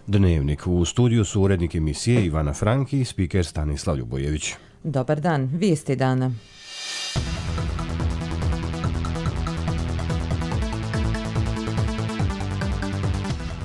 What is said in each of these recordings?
Dnevnik. U studiju su urednik emisije Ivana Franki i spiker Stanislav Ljubojević. Dobar dan, vijesti dana.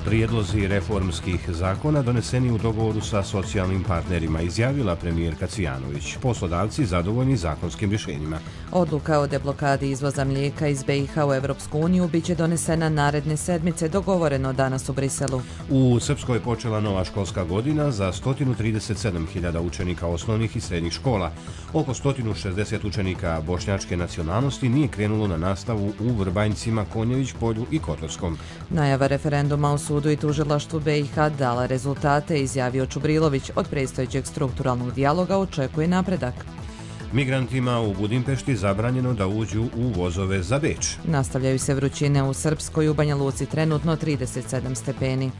Prijedlozi reformskih zakona doneseni u dogovoru sa socijalnim partnerima, izjavila premijerka Cvijanović. Poslodavci zadovoljni zakonskim rješenjima. Odluka o deblokadi izvoza mlijeka iz BiH u Evropsku uniju biće donesena naredne sedmice, dogovoreno danas u Briselu. U Srpskoj je počela nova školska godina za 137.000 učenika osnovnih i srednjih škola. Oko 160 učenika bošnjačke nacionalnosti nije krenulo na nastavu u Vrbanjcima, Konjević polju i Kotorskom. Najava referenduma u sudu i tužilaštvu BiH dala rezultate, izjavio Čubrilović. Od predstojećeg strukturalnog dijaloga očekuje napredak. Migrantima u Budimpešti zabranjeno da uđu u vozove za Beč. Nastavljaju se vrućine u Srpskoj, u Banja Luci trenutno 37 stepeni.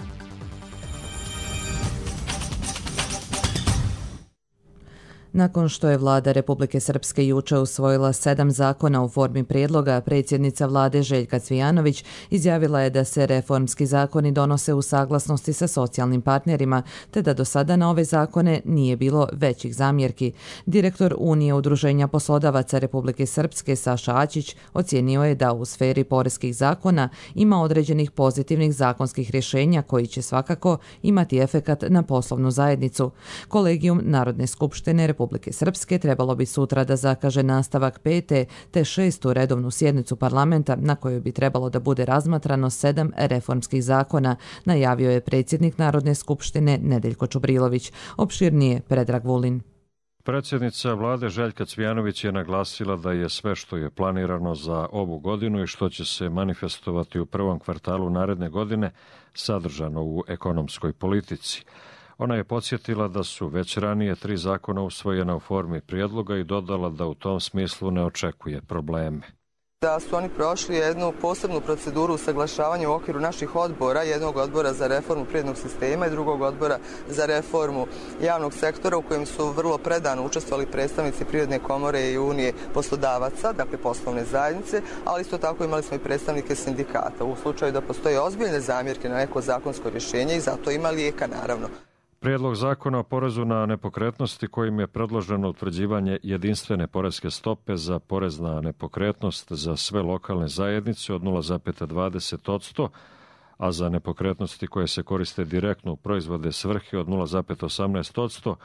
Nakon što je vlada Republike Srpske juče usvojila 7 zakona u formi prijedloga, predsjednica vlade Željka Cvijanović izjavila je da se reformski zakoni donose u saglasnosti sa socijalnim partnerima, te da do sada na ove zakone nije bilo većih zamjerki. Direktor Unije udruženja poslodavaca Republike Srpske Saša Ačić ocijenio je da u sferi poreskih zakona ima određenih pozitivnih zakonskih rješenja koji će svakako imati efekat na poslovnu zajednicu. Kolegijum Narodne skupštine Republike Srpske trebalo bi sutra da zakaže nastavak 5. te 6. redovnu sjednicu parlamenta na kojoj bi trebalo da bude razmatrano 7 reformskih zakona, najavio je predsjednik Narodne skupštine Nedeljko Čubrilović. Opširnije Predrag Vulin. Predsjednica vlade Željka Cvijanović je naglasila da je sve što je planirano za ovu godinu i što će se manifestovati u prvom kvartalu naredne godine sadržano u ekonomskoj politici. Ona je podsjetila da su već ranije 3 zakona usvojena u formi prijedloga i dodala da u tom smislu ne očekuje probleme. Da su oni prošli jednu posebnu proceduru usaglašavanja u okviru naših odbora, jednog odbora za reformu privrednog sistema i drugog odbora za reformu javnog sektora u kojem su vrlo predano učestvovali predstavnici Privredne komore i Unije poslodavaca, dakle poslovne zajednice, ali isto tako imali smo i predstavnike sindikata. U slučaju da postoje ozbiljne zamjerke na neko zakonsko rješenje i zato ima lijeka naravno. Prijedlog zakona o porezu na nepokretnosti kojim je predloženo utvrđivanje jedinstvene poreske stope za porez na nepokretnost za sve lokalne zajednice od 0,20%, a za nepokretnosti koje se koriste direktno u proizvode svrhe od 0,18%,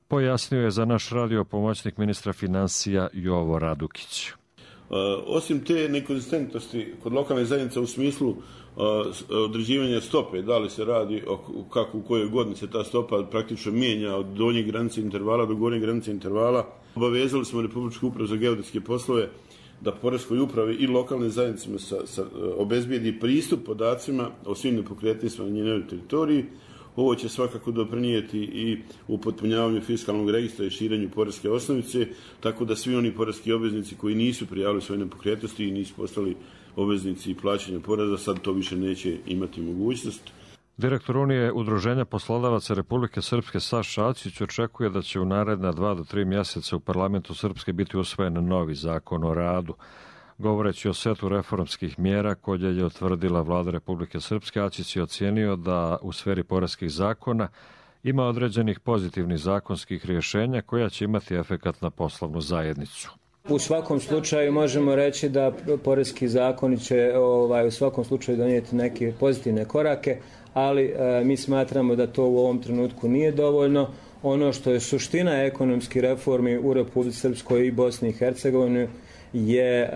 pojasnio je za naš radio pomoćnik ministra financija Jovo Radukić. Osim te nekonzistentnosti kod lokalne zajednice u smislu određivanja stope, da li se radi kako u kojoj godini se ta stopa praktično mijenja od donje granice intervala do gornje granice intervala, obavezali smo Republičku upravu za geodetske poslove da poreskoj upravi i lokalnim zajednicama obezbijedi pristup podacima o svim nepokretnostima na njenoj teritoriji. Ovo će svakako doprinijeti i u potpunjavanju fiskalnog registra i širenju poreske osnovice, tako da svi oni poreski obveznici koji nisu prijavili svoje nepokretnosti i nisu postali obveznici plaćanja poreza, sad to više neće imati mogućnost. Direktor Unije udruženja poslodavaca Republike Srpske Saša Ačić očekuje da će u naredna 2 do 3 mjeseca u parlamentu Srpske biti usvojen novi zakon o radu. Govoreći o setu reformskih mjera koje je utvrdila vlada Republike Srpske, Ačić je ocijenio da u sferi poreskih zakona ima određenih pozitivnih zakonskih rješenja koja će imati efekat na poslovnu zajednicu. U svakom slučaju možemo reći da poreski zakoni će u svakom slučaju donijeti neke pozitivne korake, ali mi smatramo da to u ovom trenutku nije dovoljno. Ono što je suština ekonomskih reformi u Republici Srpskoj i Bosni i Hercegovini je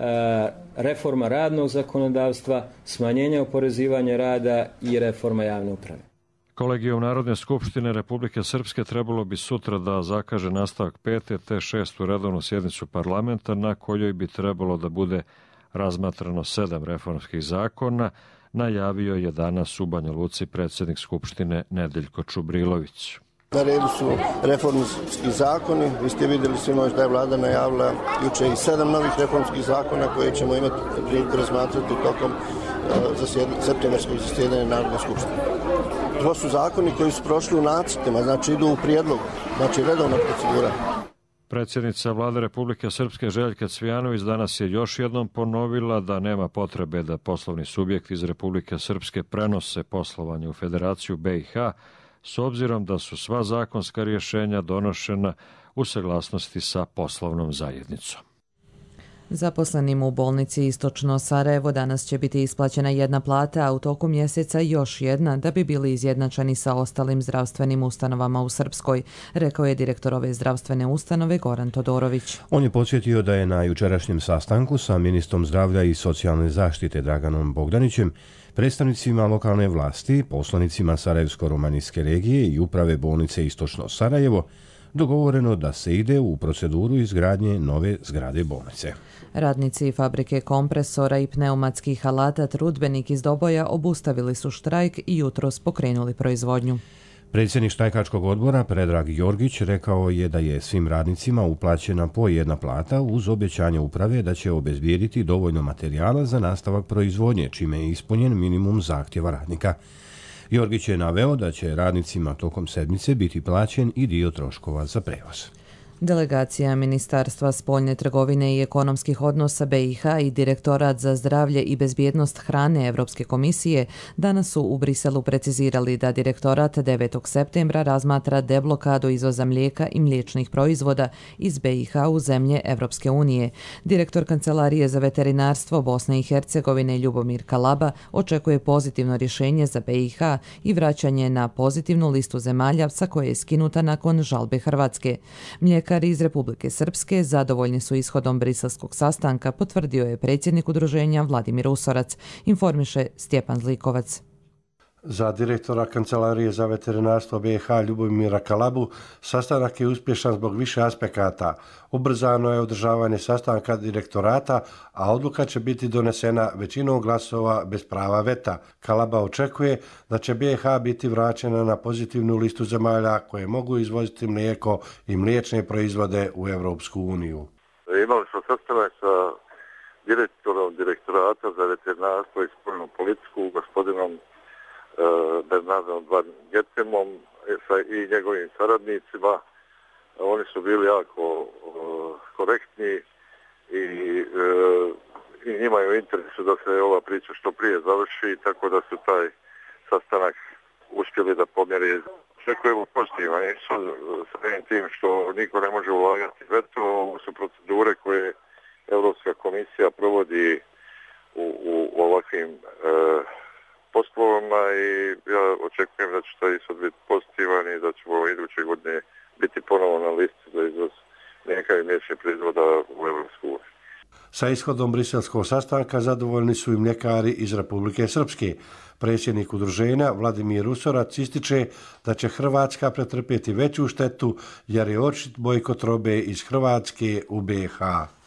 reforma radnog zakonodavstva, smanjenje oporezivanja rada i reforma javne uprave. Kolegijum Narodne skupštine Republike Srpske trebalo bi sutra da zakaže nastavak 5. te 6. redovnu sjednicu parlamenta na kojoj bi trebalo da bude razmatrano 7 reformskih zakona, najavio je danas u Banja Luci predsjednik Skupštine Nedeljko Čubrilović. Na redu su reformski zakoni. Vi ste vidjeli sinoć da je vlada najavila juče i 7 novih reformskih zakona koje ćemo imati priliku razmatrati tokom septembarskog zasjedanja Narodne skupštine. To su zakoni koji su prošli u nacrtima, znači idu u prijedlog, znači redovna procedura. Predsjednica Vlade Republike Srpske Željka Cvijanović danas je još jednom ponovila da nema potrebe da poslovni subjekti iz Republike Srpske prenose poslovanje u Federaciju BiH, s obzirom da su sva zakonska rješenja donošena u saglasnosti sa poslovnom zajednicom. Zaposlenim u bolnici Istočno Sarajevo danas će biti isplaćena jedna plata, a u toku mjeseca još jedna da bi bili izjednačeni sa ostalim zdravstvenim ustanovama u Srpskoj, rekao je direktor ove zdravstvene ustanove Goran Todorović. On je podsjetio da je na jučerašnjem sastanku sa ministrom zdravlja i socijalne zaštite Draganom Bogdanićem, predstavnicima lokalne vlasti, poslanicima Sarajevsko-romanijske regije i uprave bolnice Istočno Sarajevo dogovoreno da se ide u proceduru izgradnje nove zgrade bolnice. Radnici fabrike kompresora i pneumatskih alata Trudbenik iz Doboja obustavili su štrajk i jutros pokrenuli proizvodnju. Predsjednik štrajkačkog odbora Predrag Jorgić rekao je da je svim radnicima uplaćena po jedna plata uz obećanje uprave da će obezbijediti dovoljno materijala za nastavak proizvodnje, čime je ispunjen minimum zahtjeva radnika. Jorgić je naveo da će radnicima tokom sedmice biti plaćen i dio troškova za prevoz. Delegacija Ministarstva spoljne trgovine i ekonomskih odnosa BiH i Direktorat za zdravlje i bezbjednost hrane Evropske komisije danas su u Briselu precizirali da Direktorat 9. septembra razmatra deblokadu izvoza mlijeka i mliječnih proizvoda iz BiH u zemlje Evropske unije. Direktor Kancelarije za veterinarstvo Bosne i Hercegovine Ljubomir Kalaba očekuje pozitivno rješenje za BiH i vraćanje na pozitivnu listu zemalja sa koje je skinuta nakon žalbe Hrvatske. Mlijekari iz Republike Srpske zadovoljni su ishodom briselskog sastanka, potvrdio je predsjednik udruženja Vladimir Usorac, informiše Stjepan Zlikovac. Za direktora Kancelarije za veterinarstvo BiH Ljubomira Kalabu sastanak je uspješan zbog više aspekata. Ubrzano je održavanje sastanka direktorata, a odluka će biti donesena većinom glasova bez prava veta. Kalaba očekuje da će BiH biti vraćena na pozitivnu listu zemalja koje mogu izvoziti mlijeko i mliječne proizvode u Europsku uniju. Imali smo sastanak sa direktorom direktorata za veterinarstvo i spoljnu politiku, gospodinom Bernardom Van Getemom i njegovim saradnicima. Oni su bili jako korektni i njima je u interesu da se ova priča što prije završi, tako da su taj sastanak uspjeli da pomjeri. Očekujemo pozitivan ishod sa tim što niko ne može ulagati veto. Ovo su procedure koje Europska komisija provodi u ovakvim poslovima i ja očekujem da će taj ishod biti pozitivan i da ćemo iduće godine biti ponovo na listi za izvoz mlijeka i mliječnih proizvoda u Europsku uniju. Sa ishodom briselskog sastanka zadovoljni su i mljekari iz Republike Srpske. Predsjednik udruženja Vladimir Usorac ističe da će Hrvatska pretrpjeti veću štetu jer je očit bojkot robe iz Hrvatske u BiH.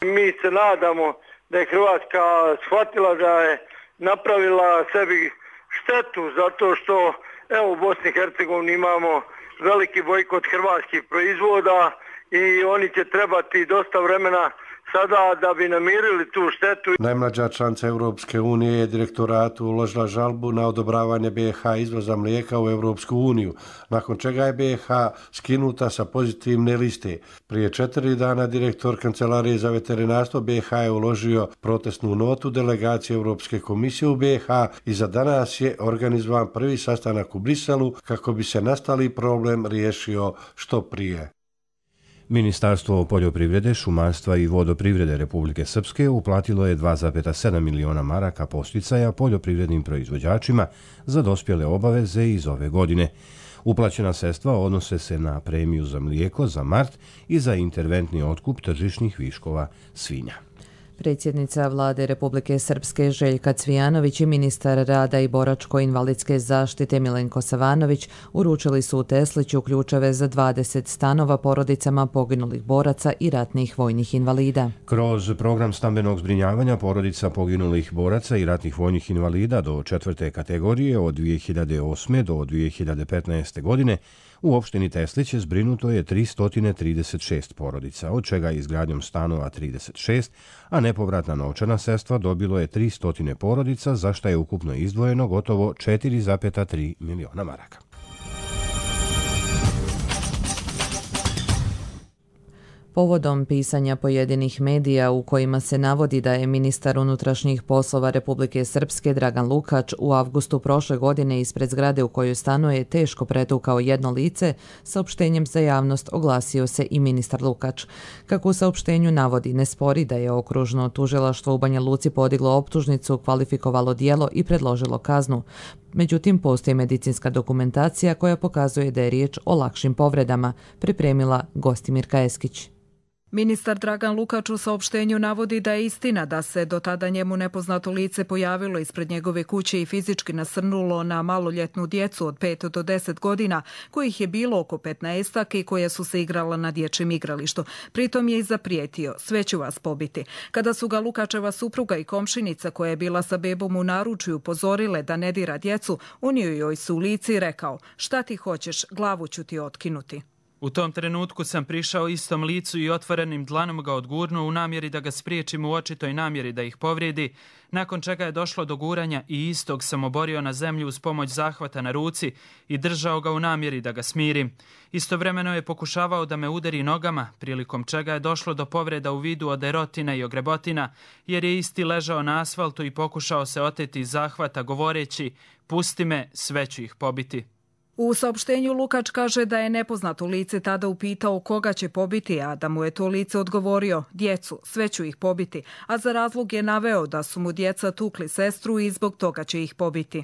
Mi se nadamo da je Hrvatska shvatila da je napravila sebi štetu zato što evo u Bosni i Hercegovini imamo veliki bojkot hrvatskih proizvoda i oni će trebati dosta vremena sada da bi namirili tu štetu. Najmlađa članica Europske unije je direktoratu uložila žalbu na odobravanje BiH izvoza mlijeka u Europsku uniju, nakon čega je BiH skinuta sa pozitivne liste. Prije 4 dana direktor Kancelarije za veterinarstvo BiH je uložio protestnu notu delegacije Europske komisije u BiH i za danas je organizovan prvi sastanak u Briselu kako bi se nastali problem riješio što prije. Ministarstvo poljoprivrede, šumarstva i vodoprivrede Republike Srpske uplatilo je 2,7 miliona maraka posticaja poljoprivrednim proizvođačima za dospjele obaveze iz ove godine. Uplaćena sredstva odnose se na premiju za mlijeko za mart i za interventni otkup tržišnih viškova svinja. Predsjednica Vlade Republike Srpske Željka Cvijanović i ministar rada i boračko-invalidske zaštite Milenko Savanović uručili su u Tesliću ključeve za 20 stanova porodicama poginulih boraca i ratnih vojnih invalida. Kroz program stambenog zbrinjavanja porodica poginulih boraca i ratnih vojnih invalida do 4. kategorije od 2008. do 2015. godine u opštini Teslić zbrinuto je 336 porodica, od čega izgradnjom stanova 36, a nepovratna novčana sredstva dobilo je 300 porodica, za što je ukupno izdvojeno gotovo 4,3 miliona maraka. Povodom pisanja pojedinih medija u kojima se navodi da je ministar unutrašnjih poslova Republike Srpske Dragan Lukač u avgustu prošle godine ispred zgrade u kojoj stanuje teško pretukao jedno lice, saopštenjem za javnost oglasio se i ministar Lukač. Kako u saopštenju navodi, ne spori da je okružno tužilaštvo u Banja Luci podiglo optužnicu, kvalifikovalo djelo i predložilo kaznu. Međutim, postoji medicinska dokumentacija koja pokazuje da je riječ o lakšim povredama, pripremila Gostimirka Eskić. Ministar Dragan Lukač u saopštenju navodi da je istina da se do tada njemu nepoznato lice pojavilo ispred njegove kuće i fizički nasrnulo na maloljetnu djecu od 5 do 10 godina, kojih je bilo oko 15 i koja su se igrala na dječjem igralištu. Pritom je i zaprijetio, sve ću vas pobiti. Kada su ga Lukačeva supruga i komšinica koja je bila sa bebom u naručju upozorile da ne dira djecu, unio joj se u lice i rekao: šta ti hoćeš, glavu ću ti otkinuti. U tom trenutku sam prišao istom licu i otvorenim dlanom ga odgurnuo u namjeri da ga spriječim u očitoj namjeri da ih povrijedi, nakon čega je došlo do guranja i istog sam oborio na zemlju uz pomoć zahvata na ruci i držao ga u namjeri da ga smirim. Istovremeno je pokušavao da me udari nogama, prilikom čega je došlo do povreda u vidu oderotina i ogrebotina, jer je isti ležao na asfaltu i pokušao se oteti iz zahvata govoreći: pusti me, sve ću ih pobiti. U saopštenju Lukač kaže da je nepoznato lice tada upitao koga će pobiti, a da mu je to lice odgovorio: djecu, sve ću ih pobiti, a za razlog je naveo da su mu djeca tukli sestru i zbog toga će ih pobiti.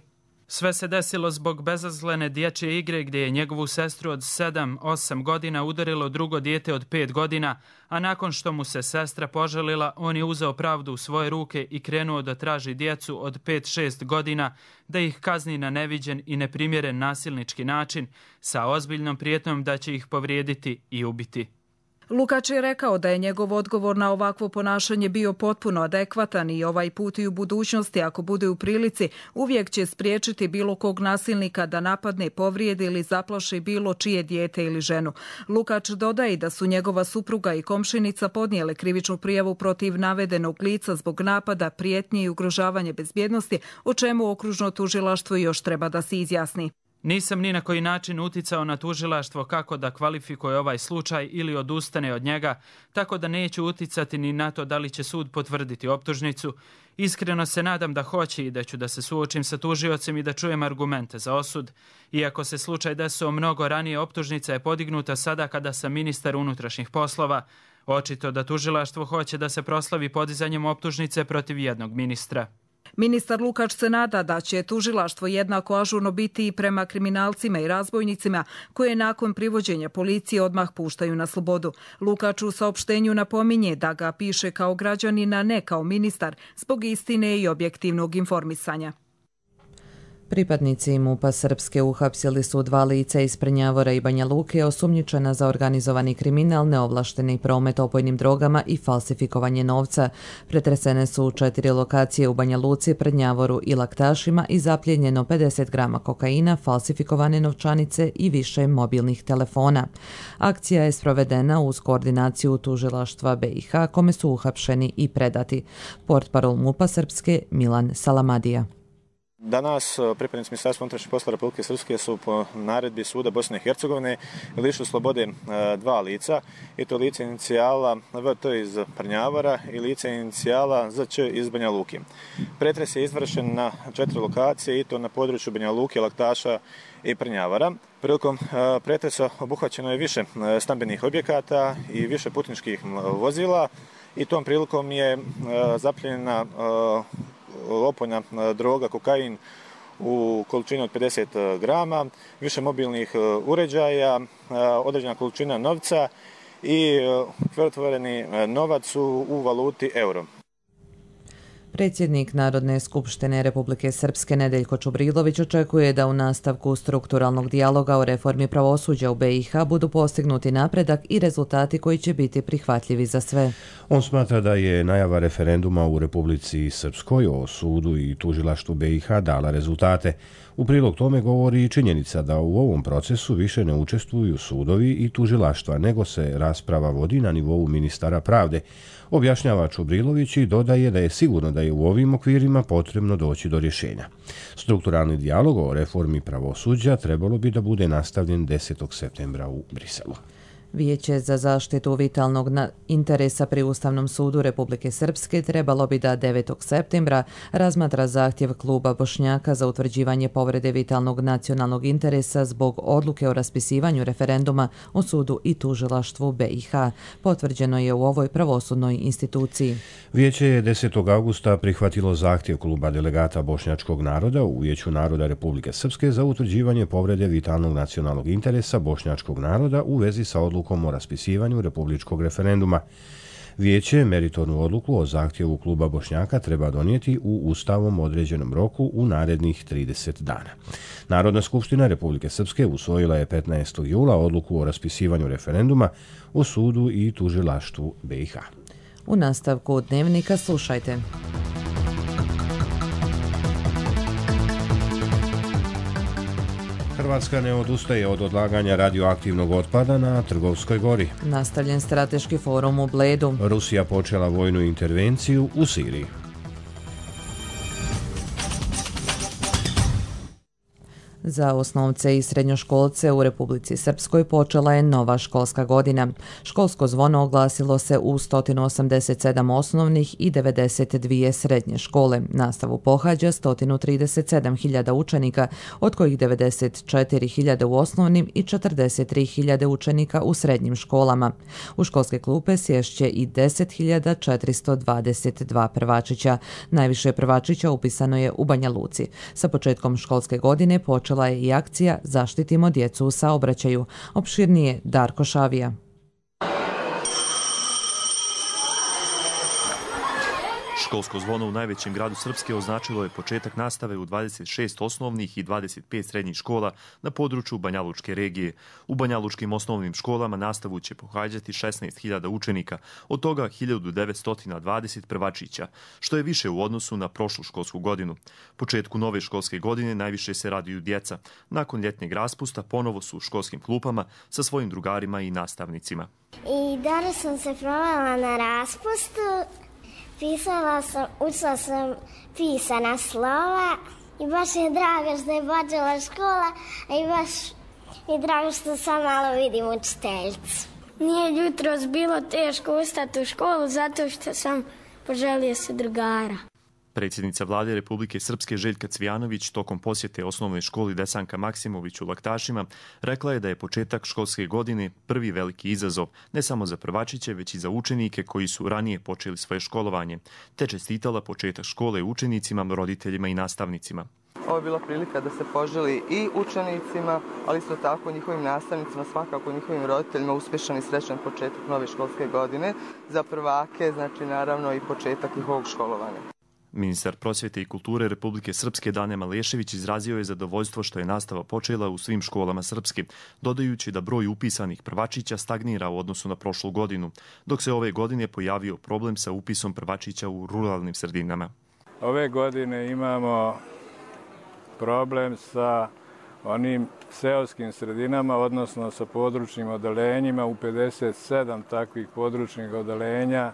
Sve se desilo zbog bezazlene dječje igre gdje je njegovu sestru od 7-8 godina udarilo drugo dijete od 5 godina, a nakon što mu se sestra požalila, on je uzeo pravdu u svoje ruke i krenuo da traži djecu od 5-6 godina, da ih kazni na neviđen i neprimjeren nasilnički način, sa ozbiljnom prijetnjom da će ih povrijediti i ubiti. Lukač je rekao da je njegov odgovor na ovakvo ponašanje bio potpuno adekvatan i ovaj put i u budućnosti, ako bude u prilici, uvijek će spriječiti bilo kog nasilnika da napadne, povrijedi ili zaplaši bilo čije dijete ili ženu. Lukač dodaje da su njegova supruga i komšinica podnijele krivičnu prijavu protiv navedenog lica zbog napada, prijetnje i ugrožavanja bezbjednosti, o čemu okružno tužilaštvo još treba da se izjasni. Nisam ni na koji način uticao na tužilaštvo kako da kvalifikuje ovaj slučaj ili odustane od njega, tako da neću uticati ni na to da li će sud potvrditi optužnicu. Iskreno se nadam da hoće i da ću da se suočim sa tužiocem i da čujem argumente za osud. Iako se slučaj desio mnogo ranije, optužnica je podignuta sada kada sam ministar unutrašnjih poslova. Očito da tužilaštvo hoće da se proslavi podizanjem optužnice protiv jednog ministra. Ministar Lukač se nada da će tužilaštvo jednako ažurno biti i prema kriminalcima i razbojnicima koje nakon privođenja policije odmah puštaju na slobodu. Lukač u saopštenju napominje da ga piše kao građanin, a ne kao ministar, zbog istine i objektivnog informisanja. Pripadnici MUP-a Srpske uhapsili su 2 lica iz Prnjavora i Banja Luke osumnjičena za organizovani kriminal, neovlašteni promet opojnim drogama i falsifikovanje novca. Pretresene su 4 lokacije u Banja Luci, Prnjavoru i Laktašima i zapljenjeno 50 grama kokaina, falsifikovane novčanice i više mobilnih telefona. Akcija je sprovedena uz koordinaciju tužilaštva BiH, kome su uhapšeni i predati. Portparol MUP-a Srpske Milan Salamadija. Danas pripadnici Ministarstva unutrašnjih poslova Republike Srpske su po naredbi suda Bosne i Hercegovine lišili slobode 2 lica, i to lice inicijala VT iz Prnjavora i lice inicijala ZČ iz Banja Luke. Pretres je izvršen na 4 lokacije, i to na području Banja Luke, Laktaša i Prnjavora. Prilikom pretresa obuhvaćeno je više stambenih objekata i više putničkih vozila, i tom prilikom je zapljenjena opojna droga, kokain u količini od 50 grama, više mobilnih uređaja, određena količina novca i krivotvoreni novac u valuti euro. Predsjednik Narodne skupštine Republike Srpske Nedeljko Čubrilović očekuje da u nastavku strukturalnog dijaloga o reformi pravosuđa u BiH budu postignuti napredak i rezultati koji će biti prihvatljivi za sve. On smatra da je najava referenduma u Republici Srpskoj o sudu i tužilaštvu BiH dala rezultate. U prilog tome govori i činjenica da u ovom procesu više ne učestvuju sudovi i tužilaštva, nego se rasprava vodi na nivou ministara pravde. Objašnjava Čubrilović i dodaje da je sigurno da je u ovim okvirima potrebno doći do rješenja. Strukturalni dijalog o reformi pravosuđa trebalo bi da bude nastavljen 10. septembra u Briselu. Vijeće za zaštitu vitalnog interesa pri Ustavnom sudu Republike Srpske trebalo bi da 9. septembra razmatra zahtjev kluba Bošnjaka za utvrđivanje povrede vitalnog nacionalnog interesa zbog odluke o raspisivanju referenduma o sudu i tužilaštvu BiH. Potvrđeno je u ovoj pravosudnoj instituciji. Vijeće je 10. augusta prihvatilo zahtjev kluba delegata bošnjačkog naroda u Vijeću naroda Republike Srpske za utvrđivanje povrede vitalnog nacionalnog interesa bošnjačkog naroda u vezi sa odlukom o raspisivanju republičkog referenduma. Vijeće meritornu odluku o zahtjevu kluba Bošnjaka treba donijeti u ustavom određenom roku u narednih 30 dana. Narodna skupština Republike Srpske usvojila je 15. jula odluku o raspisivanju referenduma o sudu i tužilaštvu BiH. U nastavku dnevnika slušajte. Hrvatska ne odustaje od odlaganja radioaktivnog otpada na Trgovskoj gori. Nastavljen strateški forum u Bledu. Rusija počela vojnu intervenciju u Siriji. Za osnovce i srednjoškolce u Republici Srpskoj počela je nova školska godina. Školsko zvono oglasilo se u 187 osnovnih i 92 srednje škole. Nastavu pohađa 137.000 učenika, od kojih 94.000 u osnovnim i 43.000 učenika u srednjim školama. U školske klupe sješće i 10.422 prvačića. Najviše prvačića upisano je u Banja Luci. Sa početkom školske godine počela je i akcija Zaštitimo djecu u saobraćaju. Opširnije Darko Šavija. Školsko zvono u najvećem gradu Srpske označilo je početak nastave u 26 osnovnih i 25 srednjih škola na području Banjalučke regije. U banjalučkim osnovnim školama nastavu će pohađati 16.000 učenika, od toga 1.920 prvačića, što je više u odnosu na prošlu školsku godinu. Početku nove školske godine najviše se raduju djeca. Nakon ljetnjeg raspusta ponovo su u školskim klupama sa svojim drugarima i nastavnicima. I danas sam se provela na raspustu. Učila sam pisana slova i baš je drago što je počela škola i baš je drago što sam malo vidim učiteljicu. Nije jutros bilo teško ustati u školu zato što sam poželio se drugara. Predsjednica vlade Republike Srpske Željka Cvijanović tokom posjete osnovnoj školi Desanka Maksimović u Laktašima rekla je da je početak školske godine prvi veliki izazov, ne samo za prvačiće, već i za učenike koji su ranije počeli svoje školovanje, te čestitala početak škole učenicima, roditeljima i nastavnicima. Ovo je bila prilika da se poželi i učenicima, ali isto tako njihovim nastavnicima, svakako njihovim roditeljima uspješan i srećan početak nove školske godine. Za prvake, znači naravno i početak njihovog školovanja. Ministar prosvjete i kulture Republike Srpske Dane Malešević izrazio je zadovoljstvo što je nastava počela u svim školama Srpske, dodajući da broj upisanih prvačića stagnira u odnosu na prošlu godinu, dok se ove godine pojavio problem sa upisom prvačića u ruralnim sredinama. Ove godine imamo problem sa onim seoskim sredinama, odnosno sa područnim odeljenjima. U 57 takvih područnih odeljenja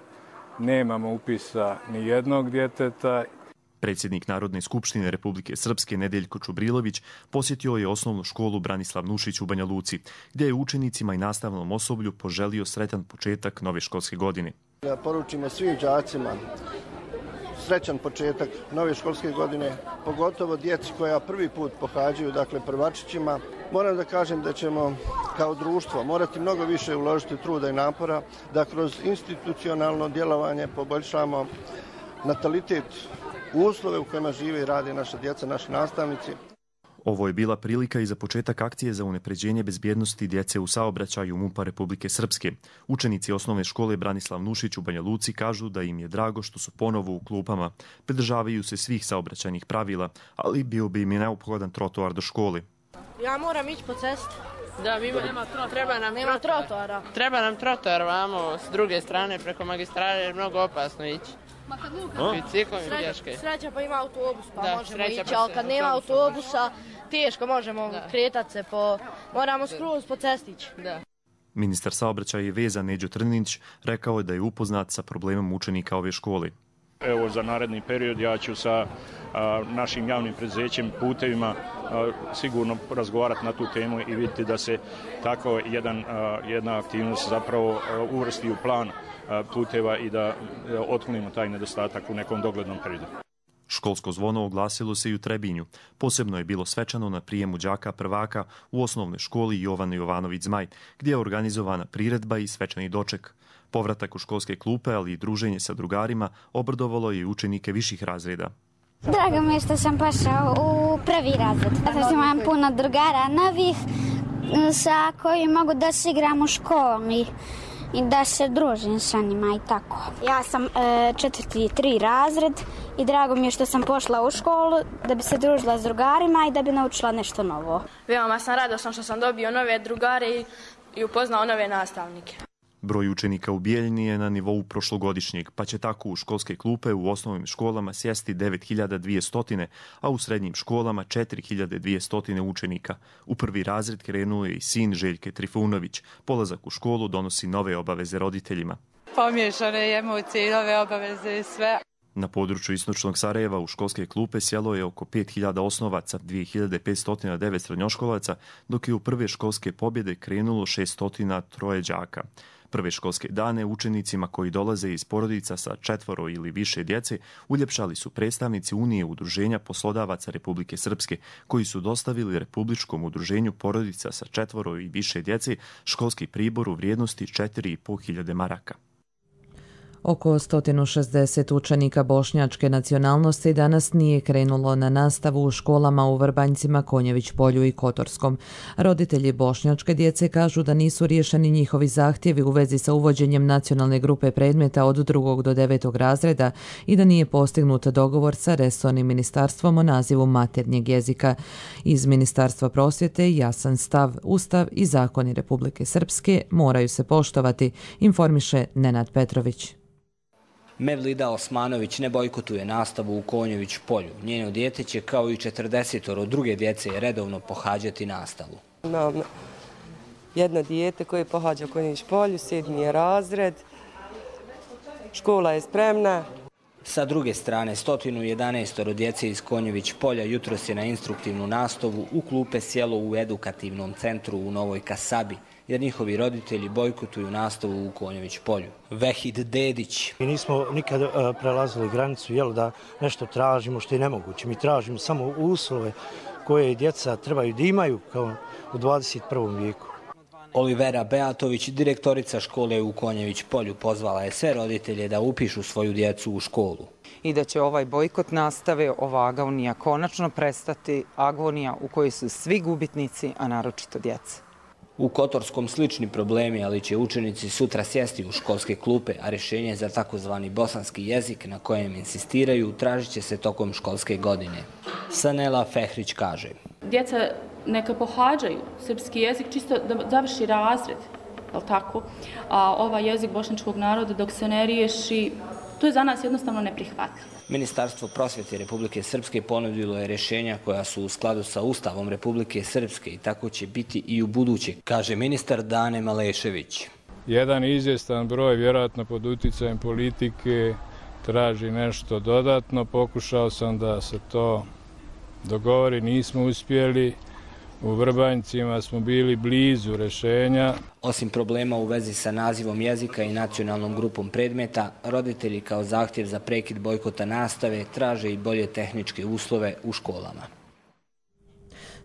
nemamo upisa ni jednog djeteta. Predsjednik Narodne skupštine Republike Srpske Nedeljko Čubrilović posjetio je osnovnu školu Branislav Nušić u Banja Luci, gdje je učenicima i nastavnom osoblju poželio sretan početak nove školske godine. Ja poručimo svim đacima srećan početak nove školske godine, pogotovo djeci koja prvi put pohađaju, dakle prvačićima. Moram da kažem da ćemo kao društvo morati mnogo više uložiti truda i napora da kroz institucionalno djelovanje poboljšamo natalitet, uslove u kojima žive i rade naša djeca, naši nastavnici. Ovo je bila prilika i za početak akcije za unapređenje bezbjednosti djece u saobraćaju MUP-a Republike Srpske. Učenici osnovne škole Branislav Nušić u Banja Luci kažu da im je drago što su ponovo u klupama. Pridržavaju se svih saobraćajnih pravila, ali bio bi im je neophodan trotoar do škole. Ja moram ići po cesti. Da, nema trotoara. Treba nam trotoar vamo s druge strane preko magistrale, jer je mnogo opasno ići. Ma kad sreća pa ima autobus, pa da, možemo ići, ali kad nema autobusa, teško možemo kretati se moramo skroz po cestići. Da. Ministar saobraćaja i veza Neđo Trninić rekao je da je upoznat sa problemom učenika ove škole. Evo, za naredni period ja ću sa našim javnim preduzećem Putevima sigurno razgovarati na tu temu i vidjeti da se tako jedna aktivnost zapravo uvrsti u plan puteva i da otklonimo taj nedostatak u nekom doglednom periodu. Školsko zvono oglasilo se i u Trebinju. Posebno je bilo svečano na prijemu đaka prvaka u osnovnoj školi Jovana Jovanović Zmaj, gdje je organizovana priredba i svečani doček. Povratak u školske klupe, ali i druženje sa drugarima obradovalo je i učenike viših razreda. Drago mi je što sam pošao u prvi razred. Zato imam puno drugara novih sa kojim mogu da se igram u školi i da se družim sa njima i tako. Ja sam 4. razred i drago mi je što sam pošla u školu da bi se družila s drugarima i da bi naučila nešto novo. Veoma sam radosna što sam dobio nove drugare i upoznao nove nastavnike. Broj učenika u Bijeljini je na nivou prošlogodišnjeg, pa će tako u školske klupe u osnovnim školama sjesti 9200, a u srednjim školama 4200 učenika. U prvi razred krenuo je i sin Željke Trifunović. Polazak u školu donosi nove obaveze roditeljima. Pomiješane emocije i nove obaveze i sve. Na području istočnog Sarajeva u školske klupe sjelo je oko 5000 osnovaca, 2509 srednjoškolaca, dok je u prve školske pobjede krenulo 603 đaka. Prve školske dane učenicima koji dolaze iz porodica sa 4 ili više djece uljepšali su predstavnici Unije udruženja poslodavaca Republike Srpske, koji su dostavili Republičkom udruženju porodica sa 4 i više djece školski pribor u vrijednosti 4500 maraka. Oko 160 učenika bošnjačke nacionalnosti danas nije krenulo na nastavu u školama u Vrbanjcima, Konjević polju i Kotorskom. Roditelji bošnjačke djece kažu da nisu riješeni njihovi zahtjevi u vezi sa uvođenjem nacionalne grupe predmeta od 2. do 9. razreda i da nije postignut dogovor sa resornim ministarstvom o nazivu maternjeg jezika. Iz Ministarstva prosvjete jasan stav, Ustav i zakoni Republike Srpske moraju se poštovati, informiše Nenad Petrović. Mevlida Osmanović ne bojkotuje nastavu u Konjević polju. Njeno dijete će kao i 40 druge djece redovno pohađati nastavu. Imam jedno dijete koje pohađa u Konjević polju, 7. razred. Škola je spremna. Sa druge strane, 111 djece iz Konjević polja jutros je na instruktivnu nastavu u klupe sjelo u edukativnom centru u Novoj Kasabi, jer njihovi roditelji bojkotuju nastavu u Konjević polju. Vehid Dedić. Mi nismo nikad prelazili granicu, da nešto tražimo što je nemoguće. Mi tražimo samo uslove koje djeca trebaju da imaju kao u 21. vijeku. Olivera Beatović, direktorica škole u Konjević polju, pozvala je sve roditelje da upišu svoju djecu u školu. I da će ovaj bojkot nastave, ova agonija konačno prestati, agonija u kojoj su svi gubitnici, a naročito djeca. U Kotorskom slični problemi, ali će učenici sutra sjesti u školske klupe, a rješenje za takozvani bosanski jezik na kojem insistiraju tražit će se tokom školske godine. Sanela Fehrić kaže: Djeca neka pohađaju srpski jezik čisto da završi razred, je li tako? A ovaj jezik bošnjačkog naroda dok se ne riješi, to je za nas jednostavno neprihvatljivo. Ministarstvo prosvjete Republike Srpske ponudilo je rješenja koja su u skladu sa Ustavom Republike Srpske i tako će biti i u buduće, kaže ministar Dane Malešević. Jedan izvjestan broj, vjerojatno pod uticajem politike, traži nešto dodatno. Pokušao sam da se to dogovori, nismo uspjeli. U Vrbanjcima smo bili blizu rješenja. Osim problema u vezi sa nazivom jezika i nacionalnom grupom predmeta, roditelji kao zahtjev za prekid bojkota nastave traže i bolje tehničke uslove u školama.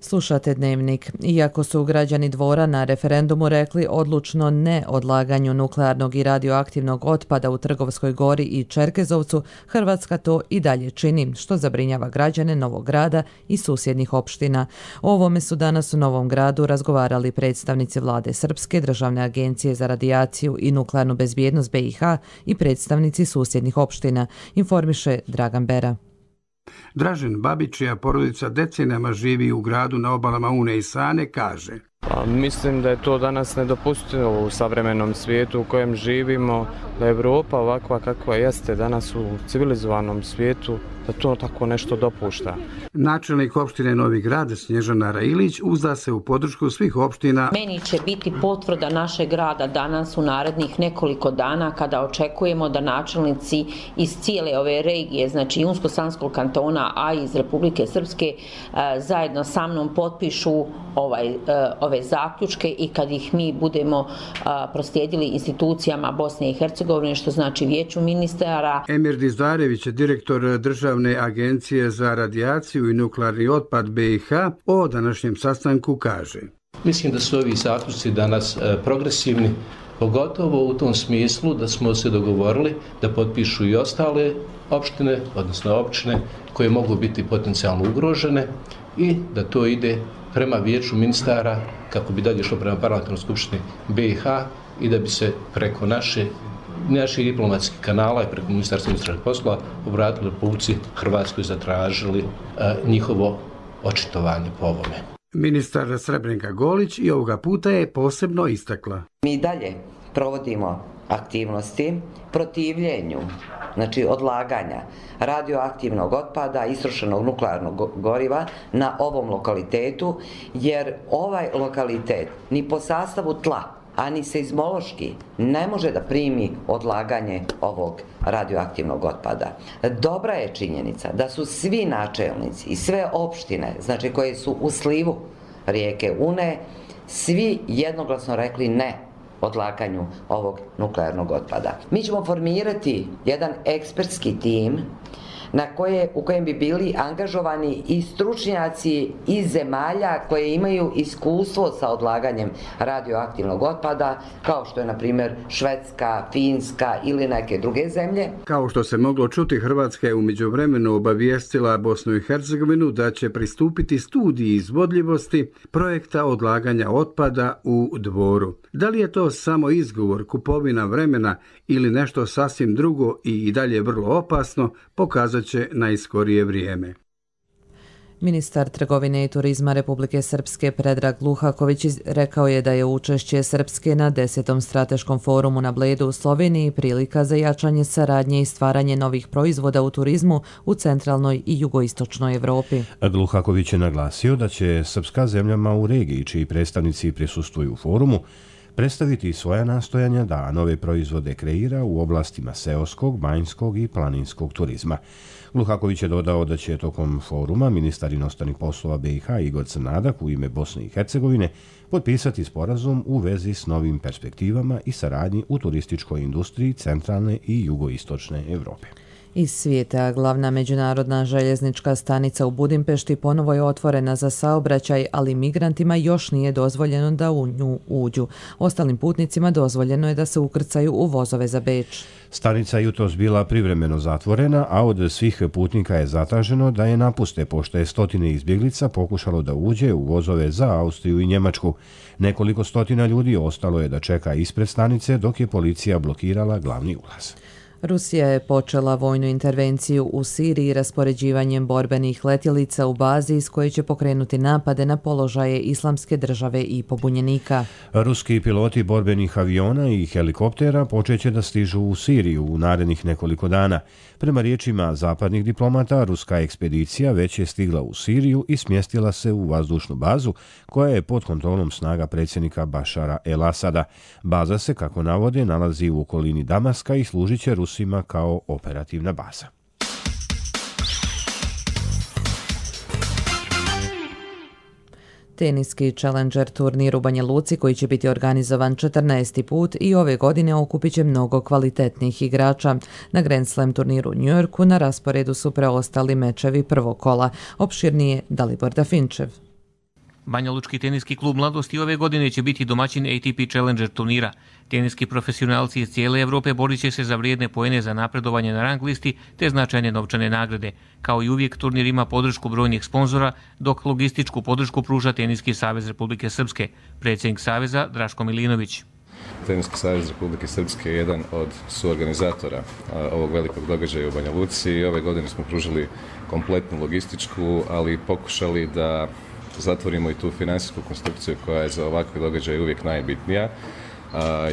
Slušate Dnevnik. Iako su građani Dvora na referendumu rekli odlučno ne odlaganju nuklearnog i radioaktivnog otpada u Trgovskoj Gori i Čerkezovcu, Hrvatska to i dalje čini, što zabrinjava građane Novog Grada i susjednih opština. O ovome su danas u Novom Gradu razgovarali predstavnici vlade Srpske, Državne agencije za radijaciju i nuklearnu bezbjednost BiH i predstavnici susjednih opština, informiše Dragan Bera. Dražen Babić, čija porodica decenijama živi u gradu na obalama Une i Sane, kaže: Mislim da je to danas nedopustivo u savremenom svijetu u kojem živimo, da je Evropa ovakva kakva jeste danas u civilizovanom svijetu, da to tako nešto dopušta. Načelnik opštine Novi Grad Snježana Railić uzda se u podršku svih opština. Meni će biti potvrda našeg grada danas u narednih nekoliko dana kada očekujemo da načelnici iz cijele ove regije, znači Unsko-Sanskog kantona, a iz Republike Srpske, zajedno sa mnom potpišu ove zaključke i kad ih mi budemo proslijedili institucijama Bosne i Hercegovine, što znači Vijeću ministara. Emir Dizdarević, direktor Državne agencije za radijaciju i nuklearni otpad BiH, o današnjem sastanku kaže: Mislim da su ovi zaključci danas progresivni, pogotovo u tom smislu da smo se dogovorili da potpišu i ostale opštine, odnosno općine koje mogu biti potencijalno ugrožene i da to ide prema Vijeću ministara kako bi dalje išlo prema parlamentarnoj skupštini BiH i da bi se preko naših diplomatskih kanala i preko Ministarstva unutrašnjih poslova obratili Republici Hrvatskoj, zatražili njihovo očitovanje po ovome. Ministar Srebrenka Golić i ovoga puta je posebno istakla: Mi dalje provodimo aktivnosti protivljenju, znači odlaganja radioaktivnog otpada, istrošenog nuklearnog goriva na ovom lokalitetu, jer ovaj lokalitet ni po sastavu tla, a ni seizmološki ne može da primi odlaganje ovog radioaktivnog otpada. Dobra je činjenica da su svi načelnici i sve opštine, znači koje su u slivu rijeke Une, svi jednoglasno rekli ne odlaganju ovog nuklearnog otpada. Mi ćemo formirati jedan ekspertski tim u kojem bi bili angažovani i stručnjaci iz zemalja koje imaju iskustvo sa odlaganjem radioaktivnog otpada, kao što je na primjer Švedska, Finska ili neke druge zemlje. Kao što se moglo čuti, Hrvatska je u međuvremenu obavijestila Bosnu i Hercegovinu da će pristupiti studiji izvodljivosti projekta odlaganja otpada u Dvoru. Da li je to samo izgovor, kupovina vremena ili nešto sasvim drugo i dalje vrlo opasno, pokazat će najskorije vrijeme. Ministar trgovine i turizma Republike Srpske Predrag Luhaković rekao je da je učešće Srpske na 10. strateškom forumu na Bledu u Sloveniji prilika za jačanje saradnje i stvaranje novih proizvoda u turizmu u centralnoj i jugoistočnoj Evropi. Luhaković je naglasio da će srpska zemljama u regiji, čiji predstavnici prisustvuju forumu, predstaviti svoja nastojanja da nove proizvode kreira u oblastima seoskog, banjskog i planinskog turizma. Luhaković je dodao da će tokom foruma ministar inostranih poslova BiH Igor Crnadak u ime Bosne i Hercegovine potpisati sporazum u vezi s novim perspektivama i saradnji u turističkoj industriji centralne i jugoistočne Evrope. Iz svijeta, glavna međunarodna željeznička stanica u Budimpešti ponovo je otvorena za saobraćaj, ali migrantima još nije dozvoljeno da u nju uđu. Ostalim putnicima dozvoljeno je da se ukrcaju u vozove za Beč. Stanica je jutros bila privremeno zatvorena, a od svih putnika je zatraženo da je napuste, pošto je stotine izbjeglica pokušalo da uđe u vozove za Austriju i Njemačku. Nekoliko stotina ljudi ostalo je da čeka ispred stanice dok je policija blokirala glavni ulaz. Rusija je počela vojnu intervenciju u Siriji raspoređivanjem borbenih letjelica u bazi iz koje će pokrenuti napade na položaje Islamske države i pobunjenika. Ruski piloti borbenih aviona i helikoptera počeće da stižu u Siriju u narednih nekoliko dana. Prema riječima zapadnih diplomata, ruska ekspedicija već je stigla u Siriju i smjestila se u vazdušnu bazu koja je pod kontrolom snaga predsjednika Bašara el-Asada. Baza se, kako navode, nalazi u okolini Damaska i služit će Rusima kao operativna baza. Teniski Challenger turnir u Banja Luci, koji će biti organizovan 14. put i ove godine, okupit će mnogo kvalitetnih igrača. Na Grand Slam turniru u New Yorku na rasporedu su preostali mečevi prvog kola. Opširnije Dalibor Dafinčev. Banja Lučki teniski klub Mladosti ove godine će biti domaćin ATP Challenger turnira. Teniski profesionalci iz cijele Evrope borit će se za vrijedne poene za napredovanje na rang listi te značajne novčane nagrade. Kao i uvijek, turnir ima podršku brojnih sponzora, dok logističku podršku pruža Teniski savez Republike Srpske. Predsjednik saveza Draško Milinović. Teniski savez Republike Srpske je jedan od suorganizatora ovog velikog događaja u Banja Luci i ove godine smo pružili kompletnu logističku, ali pokušali da zatvorimo i tu financijsku konstrukciju koja je za ovakve događaje uvijek najbitnija.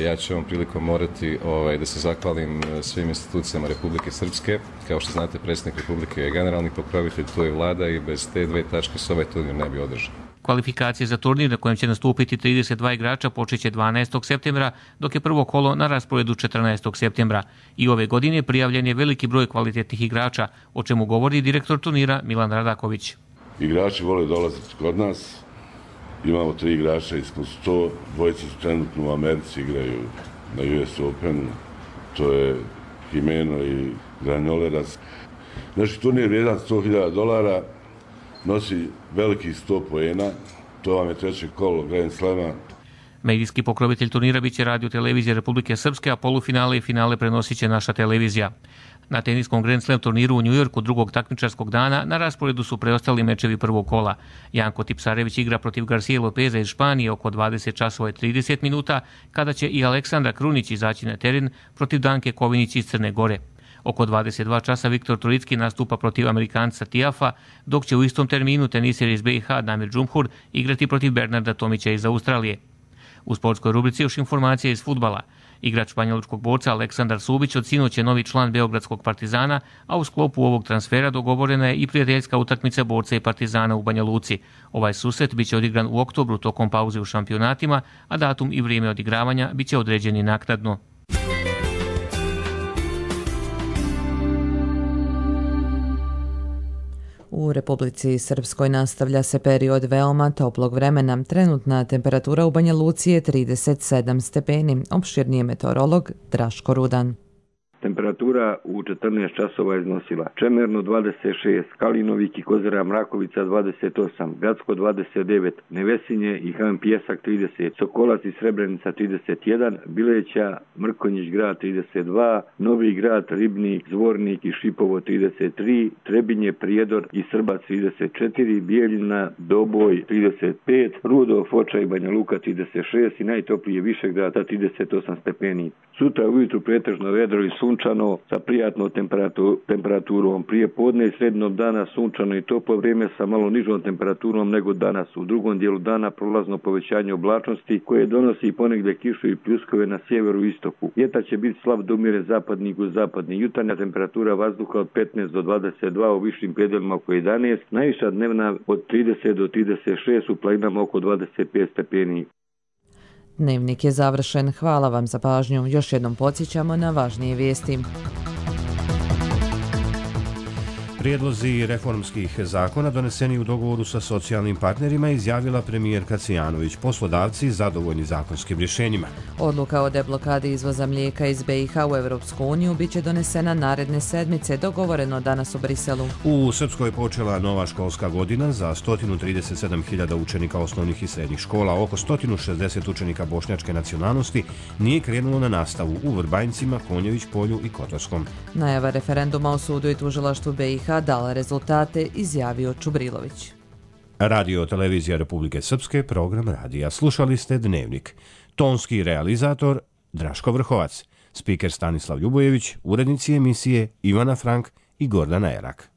Ja ću ovom prilikom morati da se zahvalim svim institucijama Republike Srpske. Kao što znate, predsjednik Republike je generalni pokrovitelj, tu je vlada i bez te dve tačke se ovaj turnir ne bi održao. Kvalifikacije za turnir na kojem će nastupiti 32 igrača počeće 12. septembra, dok je prvo kolo na rasporedu 14. septembra. I ove godine prijavljen je veliki broj kvalitetnih igrača, o čemu govori direktor turnira Milan Radaković. Igrači vole dolaziti kod nas. Imamo 3 igrača ispod 100, dvojice su trenutno u Americi, igraju na US Openu, to je Jimeno i Granolerac. Znači, turnir vrijedan $100.000, nosi veliki 100 poena, to vam je treće kolo Grand Slama. Medijski pokrovitelj turnira biće Radio televizija Republike Srpske, a polufinale i finale prenosit će naša televizija. Na teniskom Grand Slam turniru u Njujorku drugog takmičarskog dana na rasporedu su preostali mečevi prvog kola. Janko Tipsarević igra protiv Garcia Lopeza iz Španije oko 20:30 minuta, kada će i Aleksandra Krunić izaći na teren protiv Danke Kovinić iz Crne Gore. Oko 22 časa Viktor Troicki nastupa protiv Amerikanca Tiafa, dok će u istom terminu teniser iz BiH Damir Džumhur igrati protiv Bernarda Tomića iz Australije. U sportskoj rubrici još informacija iz fudbala. Igrač banjalučkog borca Aleksandar Subić od sinoć je novi član Beogradskog Partizana, a u sklopu ovog transfera dogovorena je i prijateljska utakmica borca i Partizana u Banja Luci. Ovaj susret biće odigran u oktobru tokom pauze u šampionatima, a datum i vrijeme odigravanja biće određeni naknadno. U Republici Srpskoj nastavlja se period veoma toplog vremena. Trenutna temperatura u Banja Luci je 37 stepeni. Opširnije meteorolog Draško Rudan. Temperatura u 14 časova iznosila Čemerno 26, Kalinovik i Kozara Mrakovica 28, Gacko 29, Nevesinje i Han Pjesak 30, Sokolac i Srebrenica 31, Bileća, Mrkonjić grad 32, Novi grad, Ribnik, Zvornik i Šipovo 33, Trebinje, Prijedor i Srbac 34, Bijeljina, Doboj 35, Rudo, Foča i Banja Luka 36 i najtoplije Višegrad 38 stepeni. Sutra ujutru pretežno vedro i sunčano sa prijatnom temperaturom. Prije podne i srednog dana sunčano i toplo vrijeme sa malo nižom temperaturom nego danas. U drugom dijelu dana prolazno povećanje oblačnosti koje donosi ponegdje kišu i pljuskove na sjeveru i istoku. Vjetar će biti slab do umjeren zapadni i jugozapadni. Jutarnja temperatura vazduha od 15 do 22, u višim predelima oko 11, najviša dnevna od 30 do 36, u planinama oko 25 stepeni. Dnevnik je završen. Hvala vam za pažnju. Još jednom podsjećamo na važnije vijesti. Prijedlozi reformskih zakona doneseni u dogovoru sa socijalnim partnerima izjavila premijerka Cvijanović. Poslodavci zadovoljni zakonskim rješenjima. Odluka o deblokadi izvoza mlijeka iz BiH u Europsku uniju biće donesena naredne sedmice, dogovoreno danas u Briselu. U Srpskoj je počela nova školska godina za 137.000 učenika osnovnih i srednjih škola. Oko 160 učenika bošnjačke nacionalnosti nije krenulo na nastavu u Vrbanjcima, Konjević polju i Kotorskom. Najava referenduma o sudu i tužilaštvu BiH dala rezultate, izjavio Čubrilović. Radio televizija Republike Srpske, program radija. Slušali ste Dnevnik. Tonski realizator Draško Vrhovac, spiker Stanislav Ljubojević, urednici emisije Ivana Frank i Gordana Erak.